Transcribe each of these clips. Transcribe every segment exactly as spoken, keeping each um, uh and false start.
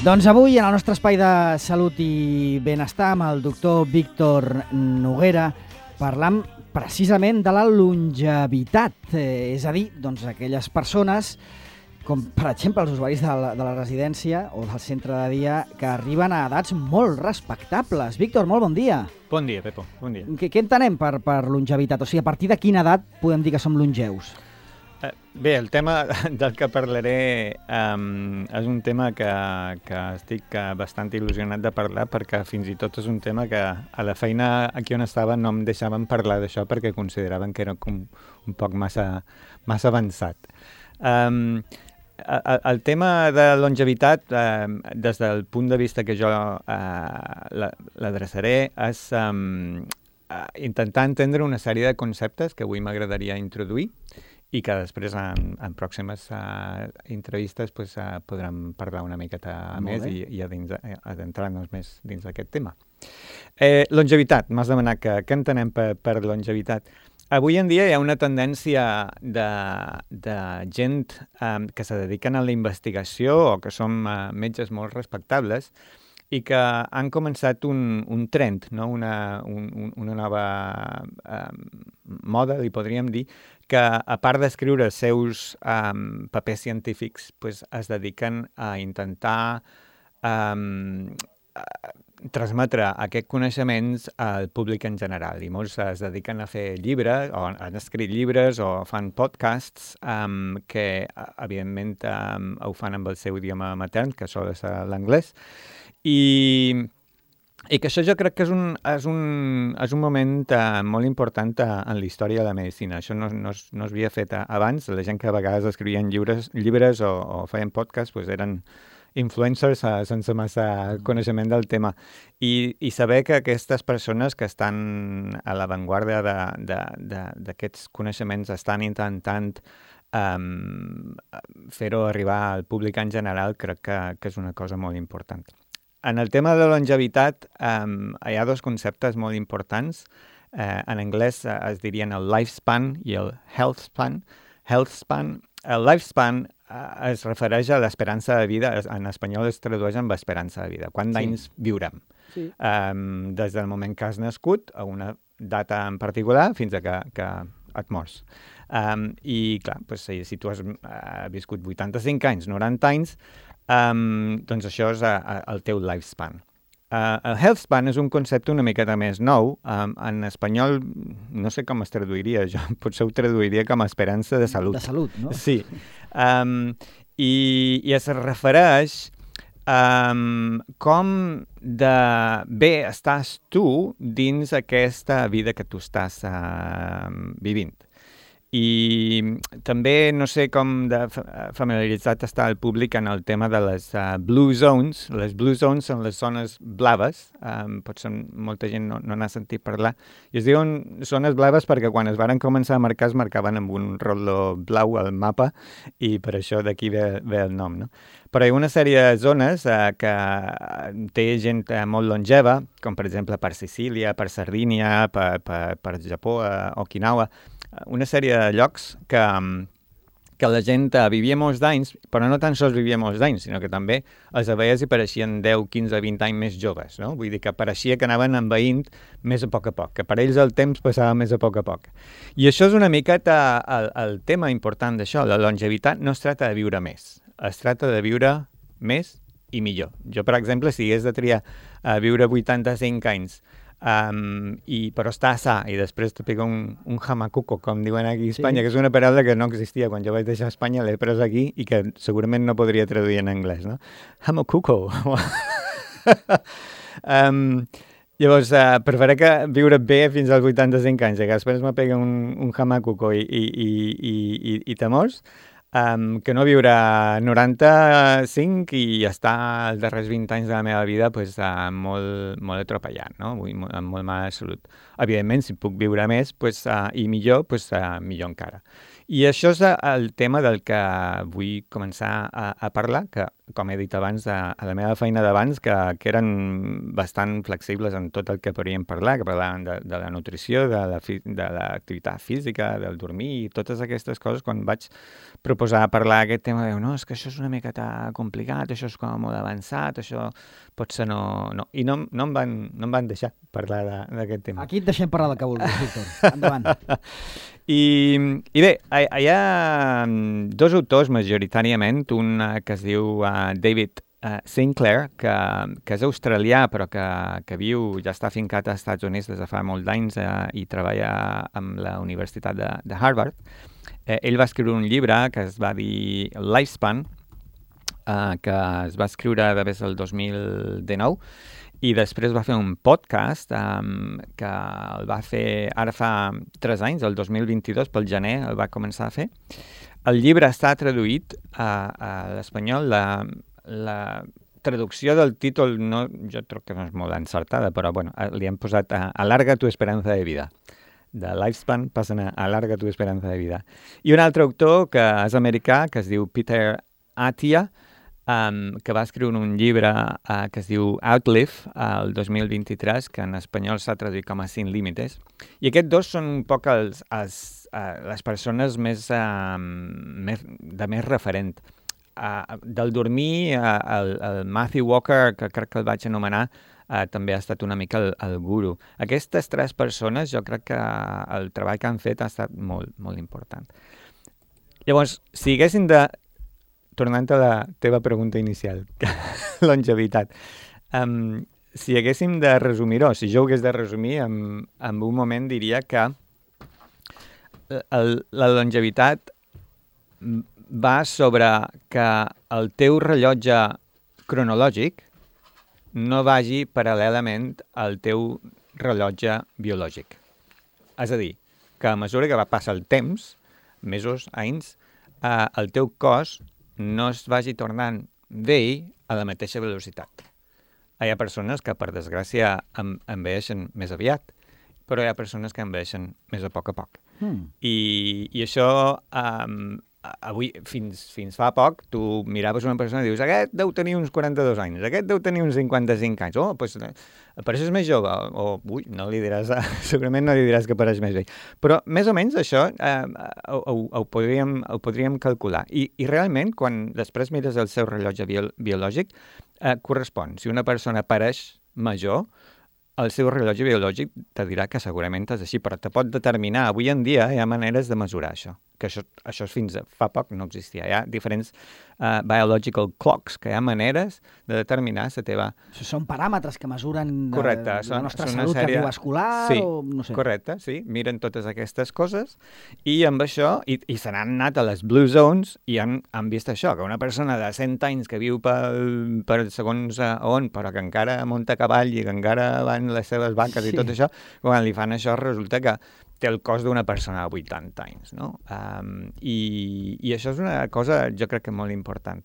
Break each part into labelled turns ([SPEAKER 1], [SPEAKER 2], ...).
[SPEAKER 1] Doncs avui, en el nostre espai de salut i benestar, amb el doctor Víctor Noguera, parlam precisament de la longevitat, eh, és a dir, doncs, aquelles persones, com per exemple els usuaris de la, de la residència o del centre de dia, que arriben a edats molt respectables. Víctor, molt bon dia.
[SPEAKER 2] Bon dia, Pepo, bon dia.
[SPEAKER 1] Què, què entenem per, per longevitat? O sigui, a partir de quina edat podem dir que som longeus?
[SPEAKER 2] Uh, bé, el tema del que parlaré um, és un tema que, que estic bastant il·lusionat de parlar, perquè fins i tot és un tema que a la feina aquí on estava no em deixaven parlar d'això perquè consideraven que era com un poc massa, massa avançat. Um, el, el tema de longevitat, um, des del punt de vista que jo uh, l'adreçaré, és um, uh, intentar entendre una sèrie de conceptes que avui m'agradaria introduir i que després en, en pròximes uh, entrevistes pues, uh, podrem parlar una miqueta més i, i adentrar-nos més dins d'aquest tema. Eh, longevitat, m'has demanat que, què entenem per, per longevitat. Avui en dia hi ha una tendència de, de gent um, que se dediquen a la investigació o que són uh, metges molt respectables i que han començat un, un trend, no? una, un, una nova um, moda, li podríem dir, que a part d'escriure els seus um, papers científics, pues, es dediquen a intentar um, transmetre aquests coneixements al públic en general. I molts es dediquen a fer llibres, o han escrit llibres, o fan podcasts um, que, evidentment, um, ho fan amb el seu idioma matern, que sol ser l'anglès. I... I que això jo crec que és un, és un, és un moment uh, molt important uh, en la història de la medicina. Això no, no, es, no es havia fet uh, abans. La gent que a vegades escrivien llibres, llibres o, o feien podcasts pues eren influencers uh, sense massa coneixement del tema. I, I saber que aquestes persones que estan a l'avantguarda d'aquests coneixements estan intentant um, fer-ho arribar al públic en general, crec que, que és una cosa molt important. En el tema de la longevitat um, hi ha dos conceptes molt importants. Uh, en anglès uh, es dirien el lifespan i el health span. Health span. El lifespan uh, es refereix a l'esperança de vida, en espanyol es tradueix amb esperança de vida. Quants anys sí. viurem? Sí. Um, des del moment que has nascut a una data en particular fins a que, que et mors. Um, I clar, pues, si, si tu has uh, viscut vuitanta-cinc anys, noranta anys, Um, doncs això és a, a, el teu lifespan. Uh, el health span és un concepte una miqueta més nou. Um, en espanyol, no sé com es traduiria, jo potser ho traduiria com a esperança de salut.
[SPEAKER 1] De salut, no?
[SPEAKER 2] Sí. Um, i, I es refereix um, com de bé estàs tu dins aquesta vida que tu estàs uh, vivint. I també no sé com de familiaritzat està el públic en el tema de les uh, blue zones. Les blue zones són les zones blaves, um, potser molta gent no, no n'ha sentit parlar, i es diuen zones blaves perquè quan es van començar a marcar es marcaven amb un rotllo blau al mapa i per això d'aquí ve, ve el nom, no? Però hi ha una sèrie de zones uh, que té gent uh, molt longeva, com per exemple per Sicília, per Sardínia, per, per, per Japó, uh, Okinawa, una sèrie de llocs que, que la gent vivia molts d'anys, però no tan sols vivia molts d'anys, sinó que també els veies i pareixien deu, quinze, vint anys més joves, no? Vull dir que pareixia que anaven envaint més a poc a poc, que per ells el temps passava més a poc a poc. I això és una miqueta el, el tema important d'això. La longevitat no es tracta de viure més, es tracta de viure més i millor. Jo, per exemple, si hagués de triar a viure vuitanta-cinc anys, Um, i, però està sa i després te pega un, un hamacuco, com diuen aquí a Espanya, sí. Que és una paraula que no existia quan jo vaig deixar Espanya, l'he pres aquí i que segurament no podria traduir en anglès, no? Hamacuco. um, llavors, uh, prefereix que viure bé fins als vuitanta-cinc anys, que després me pega un, un hamacuco i, i, i, i, i, i te mors. Um, que no viure noranta-cinc i estar els darrers vint anys de la meva vida pues, uh, molt, molt atropellat, no? Vull, amb molt mala salut. Evidentment, si puc viure més pues, uh, i millor, pues, uh, millor encara. I això és el tema del que vull començar a, a parlar, que com he dit abans, a, a la meva feina d'abans, que, que eren bastant flexibles en tot el que podríem parlar, que parlaven de, de la nutrició, de la fi, de l'activitat física, del dormir, i totes aquestes coses. Quan vaig proposar parlar aquest tema, diu, no, és que això és una miqueta complicat, això és com molt avançat, això potser no... no. I no, no, em van, no em van deixar parlar d'aquest tema.
[SPEAKER 1] Aquí et deixem parlar del que vulguis, Víctor. Endavant.
[SPEAKER 2] I, I bé, hi ha dos autors majoritàriament, un que es diu uh, David uh, Sinclair, que, que és australià però que, que viu, ja està fincat als Estats Units des de fa molts d'anys uh, i treballa amb la Universitat de, de Harvard. Uh, ell va escriure un llibre que es va dir Lifespan, uh, que es va escriure des del dos mil dinou, i després va fer un podcast um, que el va fer ara fa tres anys, el dos mil vint-i-dos, pel gener el va començar a fer. El llibre està traduït a, a l'espanyol. La, la traducció del títol no, jo crec que no és molt encertada, però bueno, li hem posat a, Alarga tu esperanza de vida. De Lifespan passen a Alarga tu esperanza de vida. I un altre autor que és americà, que es diu Peter Attia, Um, que va escriure un llibre uh, que es diu Outlive uh, el dos mil vint-i-tres, que en espanyol s'ha traduït com a Sin Límites. I aquests dos són un poc els, els, uh, les persones més, uh, més, de més referent. Uh, del dormir, uh, el, el Matthew Walker, que crec que el vaig anomenar, uh, també ha estat una mica el, el guru. Aquestes tres persones, jo crec que el treball que han fet ha estat molt, molt important. Llavors, si haguessin de... Tornant a la teva pregunta inicial, longevitat. Um, si haguéssim de resumir-ho, si jo ho hagués de resumir, en, en un moment diria que el, la longevitat va sobre que el teu rellotge cronològic no vagi paral·lelament al teu rellotge biològic. És a dir, que a mesura que va passar el temps, mesos, anys, eh, el teu cos no es vagi tornant vell a la mateixa velocitat. Hi ha persones que, per desgràcia, en, envelleixen més aviat, però hi ha persones que envelleixen més a poc a poc. Mm. I, i això, um, avui, fins, fins fa poc, tu miraves una persona i dius, aquest deu tenir uns quaranta-dos anys, aquest deu tenir uns cinquanta-cinc anys, oh, doncs pareixes més jove, o, ui, no li diràs, segurament no li diràs que pareix més vell. Però, més o menys, això eh, ho, ho, ho, podríem, ho podríem calcular. I, i realment, quan després mires el seu rellotge bio, biològic, eh, correspon. Si una persona pareix major, el seu rellotge biològic te dirà que segurament és així, però te pot determinar. Avui en dia hi ha maneres de mesurar això, que això, això fins a fa poc no existia. Hi ha diferents uh, biological clocks, que hi ha maneres de determinar la teva...
[SPEAKER 1] Això són paràmetres que mesuren de,
[SPEAKER 2] correcte,
[SPEAKER 1] de la
[SPEAKER 2] són,
[SPEAKER 1] nostra
[SPEAKER 2] són
[SPEAKER 1] salut
[SPEAKER 2] sèrie...
[SPEAKER 1] cardiovascular
[SPEAKER 2] sí,
[SPEAKER 1] o no sé.
[SPEAKER 2] Correcte, sí, miren totes aquestes coses i amb això, i, i se n'han anat a les Blue Zones i han, han vist això, que una persona de cent anys que viu per, per segons uh, on, però que encara munta a cavall i que encara van les seves vaques sí. I tot això, quan li fan això resulta que té el cos d'una persona de vuitanta anys, no? Um, i, I això és una cosa, jo crec que molt important.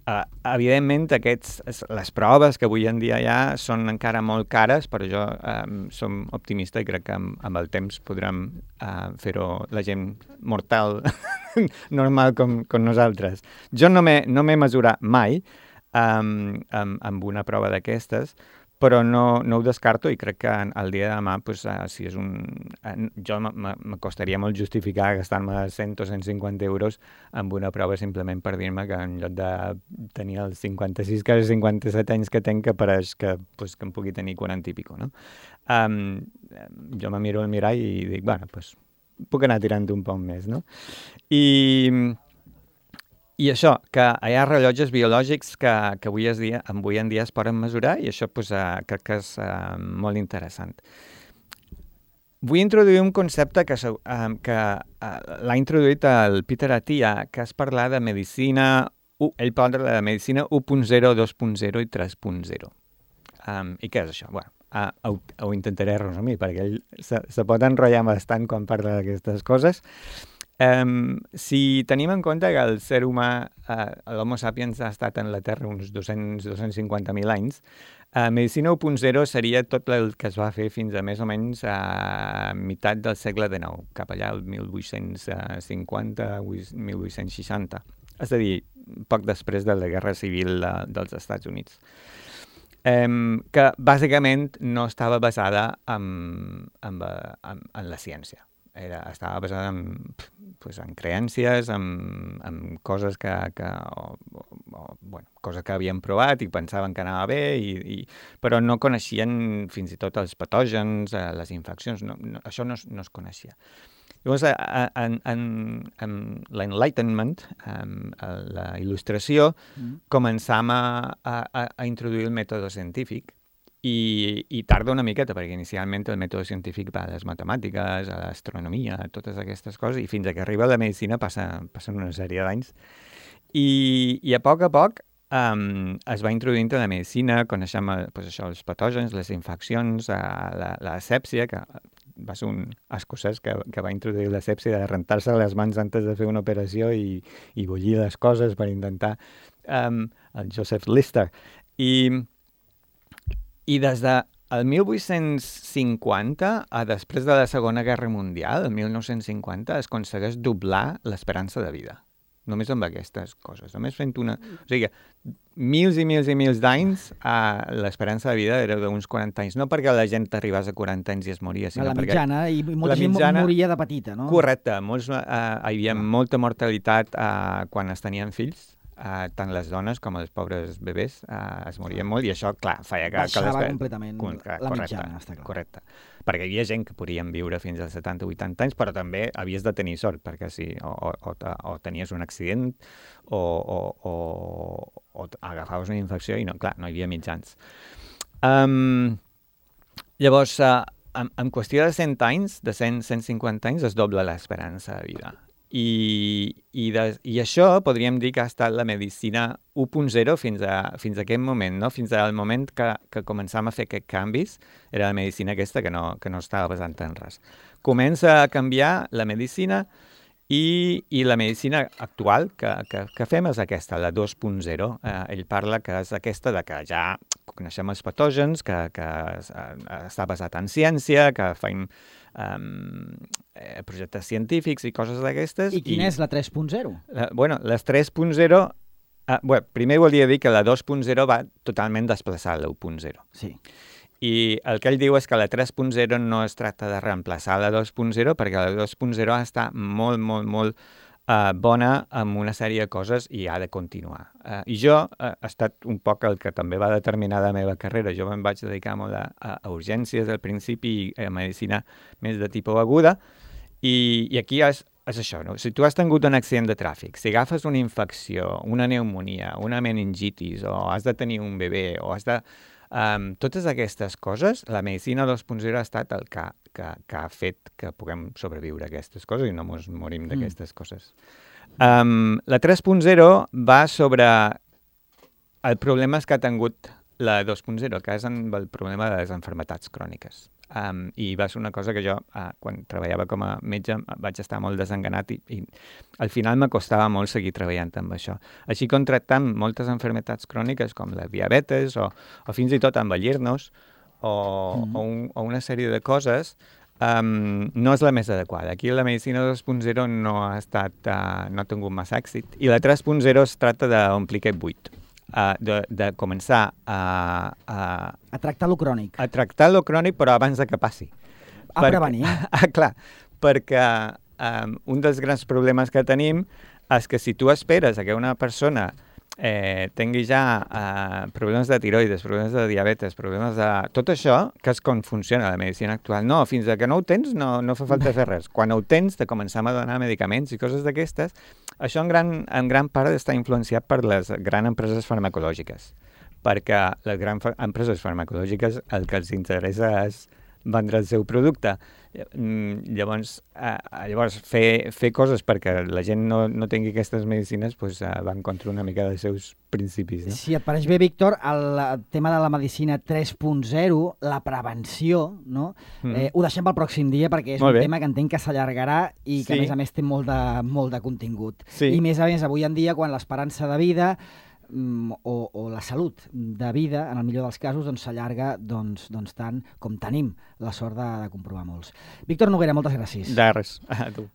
[SPEAKER 2] Uh, evidentment, aquests, les proves que avui en dia hi ha són encara molt cares, però jo um, som optimista i crec que amb, amb el temps podrem uh, fer-ho la gent mortal, normal com, com nosaltres. Jo no m'he no m'he mesurat mai um, amb, amb una prova d'aquestes, però no, no ho descarto i crec que el dia de demà, pues, uh, si és un... Uh, jo m'acostaria molt justificar gastar-me cent o cent cinquanta euros amb una prova simplement per dir-me que en lloc de tenir els cinquanta-sis, quasi cinquanta-set anys que tenc, que pareix que, pues, que em pugui tenir quaranta i pico, no? Um, jo me miro al mirall i dic, bueno, pues, puc anar tirant un poc més, no? I... I això, que hi ha rellotges biològics que, que avui, es dia, avui en dia es poden mesurar i això pues, uh, crec que és uh, molt interessant. Vull introduir un concepte que, uh, que uh, l'ha introduït el Peter Attia, que és parlar de medicina, uh, ell parla de medicina u punt zero, dos punt zero i tres punt zero. Um, I què és això? Bueno, uh, ho, ho intentaré resumir, perquè ell se, se pot enrotllar bastant quan parla d'aquestes coses. Um, si tenim en compte que el ser humà, uh, l'Homo sapiens, ha estat en la Terra uns dos-cents a dos-cents cinquanta mil anys, uh, medicina u punt zero seria tot el que es va fer fins a més o menys a meitat del segle dinou, cap allà al mil vuit-cents cinquanta, mil vuit-cents seixanta. És a dir, poc després de la Guerra Civil de, dels Estats Units. Um, que bàsicament no estava basada en, en, en, en la ciència. Era, estava basada en, pues, en creències, en, en coses que, que, o, o, bueno, coses que havien provat i pensaven que anava bé, i, i, però no coneixien fins i tot els patògens, les infeccions, no, no, això no, no es coneixia. Llavors, en, en, en l'Enlightenment, en la il·lustració, mm. començam a, a, a introduir el mètode científic, i, i tarda una miqueta, perquè inicialment el mètode científic va a les matemàtiques, a l'astronomia, a totes aquestes coses, i fins que arriba a la medicina passa, passen una sèrie d'anys. I, I a poc a poc um, es va introduint a la medicina, coneixem pues, això, els patògens, les infeccions, la, la sèpsia, que va ser un escocès que, que va introduir la sèpsia de rentar-se les mans antes de fer una operació i, i bullir les coses per intentar, um, el Joseph Lister. I, i des del mil vuit-cents cinquanta, a després de la Segona Guerra Mundial, el mil nou-cents cinquanta, es aconsegueix doblar l'esperança de vida. Només amb aquestes coses. Només fent una... O sigui, mils i mils i mils d'anys, uh, l'esperança de vida era d'uns quaranta anys. No perquè la gent arribés a quaranta anys i es moria, sinó
[SPEAKER 1] la
[SPEAKER 2] perquè...
[SPEAKER 1] mitjana, i molta gent mitjana, moria de petita, no?
[SPEAKER 2] Correcte. Molts, uh, hi havia ah. molta mortalitat uh, quan es tenien fills. Uh, tant les dones com els pobres bebès uh, es morien molt, i això, clar, feia que...
[SPEAKER 1] Baixava
[SPEAKER 2] que les...
[SPEAKER 1] completament
[SPEAKER 2] correcte,
[SPEAKER 1] la mitjana, està clar.
[SPEAKER 2] Correcte. Perquè hi havia gent que podien viure fins als setanta o vuitanta anys, però també havies de tenir sort, perquè si o, o, o, o tenies un accident o, o, o, o agafaves una infecció i, no, clar, no hi havia mitjans. Um, llavors, uh, en, en qüestió de cent anys, de cent a cent cinquanta anys, es dobla l'esperança de vida. I, i, de, i això podríem dir que ha estat la medicina u punt zero fins a, fins a aquest moment, no? Fins al moment que, que començam a fer aquests canvis, era la medicina aquesta que no, que no estava basant en res. Comença a canviar la medicina i, i la medicina actual que, que, que fem és aquesta, la dos punt zero. Eh, ell parla que és aquesta de que ja coneixem els patògens, que, que està basat en ciència, que fem Um, eh, projectes científics i coses d'aquestes.
[SPEAKER 1] I quina i, és la tres punt zero?
[SPEAKER 2] La, bueno, les tres punt zero... Uh, bueno, primer volia dir que la dos punt zero va totalment desplaçar la u punt zero.
[SPEAKER 1] Sí.
[SPEAKER 2] I el que ell diu és que la tres punt zero no es tracta de reemplaçar la dos punt zero, perquè la dos punt zero està molt, molt, molt uh, bona amb una sèrie de coses i ha de continuar. Uh, I jo uh, he estat un poc el que també va determinar la meva carrera. Jo me'n vaig dedicar molt a, a urgències al principi i a medicina més de tipus aguda, i, i aquí és, és això, no? Si tu has tingut un accident de tràfic, si agafes una infecció, una pneumonia, una meningitis, o has de tenir un bebè, o has de... Um, totes aquestes coses, la medicina dos punt zero ha estat el que, que, que ha fet que puguem sobreviure a aquestes coses i no ens morim d'aquestes mm. coses. Um, la tres punt zero va sobre el problemes que ha tingut la dos punt zero, que és el problema de les malalties cròniques. Um, I va ser una cosa que jo, uh, quan treballava com a metge, vaig estar molt desenganat i, i al final m'acostava molt seguir treballant amb això. Així contractant moltes malalties cròniques com la diabetes o, o fins i tot envellir-nos o, mm. o, un, o una sèrie de coses, um, no és la més adequada. Aquí la medicina dos punt zero no ha estat, uh, no ha tingut massa èxit, i la tres punt zero es tracta d'omplir aquest buit. Uh, de, de començar a, a...
[SPEAKER 1] A tractar lo crònic.
[SPEAKER 2] A tractar lo crònic, però abans de que passi.
[SPEAKER 1] A perquè, prevenir.
[SPEAKER 2] Ah, clar, perquè um, un dels grans problemes que tenim és que si tu esperes a que una persona eh, tingui ja uh, problemes de tiroides, problemes de diabetes, problemes de... Tot això, que és com funciona la medicina actual. No, fins que no ho tens no, no fa falta fer res. Quan ho tens, te començam a donar medicaments i coses d'aquestes. Això en gran, en gran part està influenciat per les grans empreses farmacològiques, perquè les grans empreses farmacològiques el que els interessa és vendre el seu producte. Llavors, eh, llavors fer, fer coses perquè la gent no, no tingui aquestes medicines pues, eh, van contra una mica dels seus principis. No?
[SPEAKER 1] Si et pareix bé, Víctor, el tema de la medicina tres punt zero, la prevenció, no? Mm. eh, ho deixem pel pròxim dia perquè és
[SPEAKER 2] molt
[SPEAKER 1] un
[SPEAKER 2] bé.
[SPEAKER 1] tema que entenc que s'allargarà i que, sí. a més a més, té molt de, molt de contingut.
[SPEAKER 2] Sí.
[SPEAKER 1] I més a més, avui en dia, quan l'esperança de vida O, o la salut de vida, en el millor dels casos, doncs s'allarga doncs, doncs tant com tenim la sort de, de comprovar molts. Víctor Noguera, moltes gràcies.
[SPEAKER 2] De res, a tu.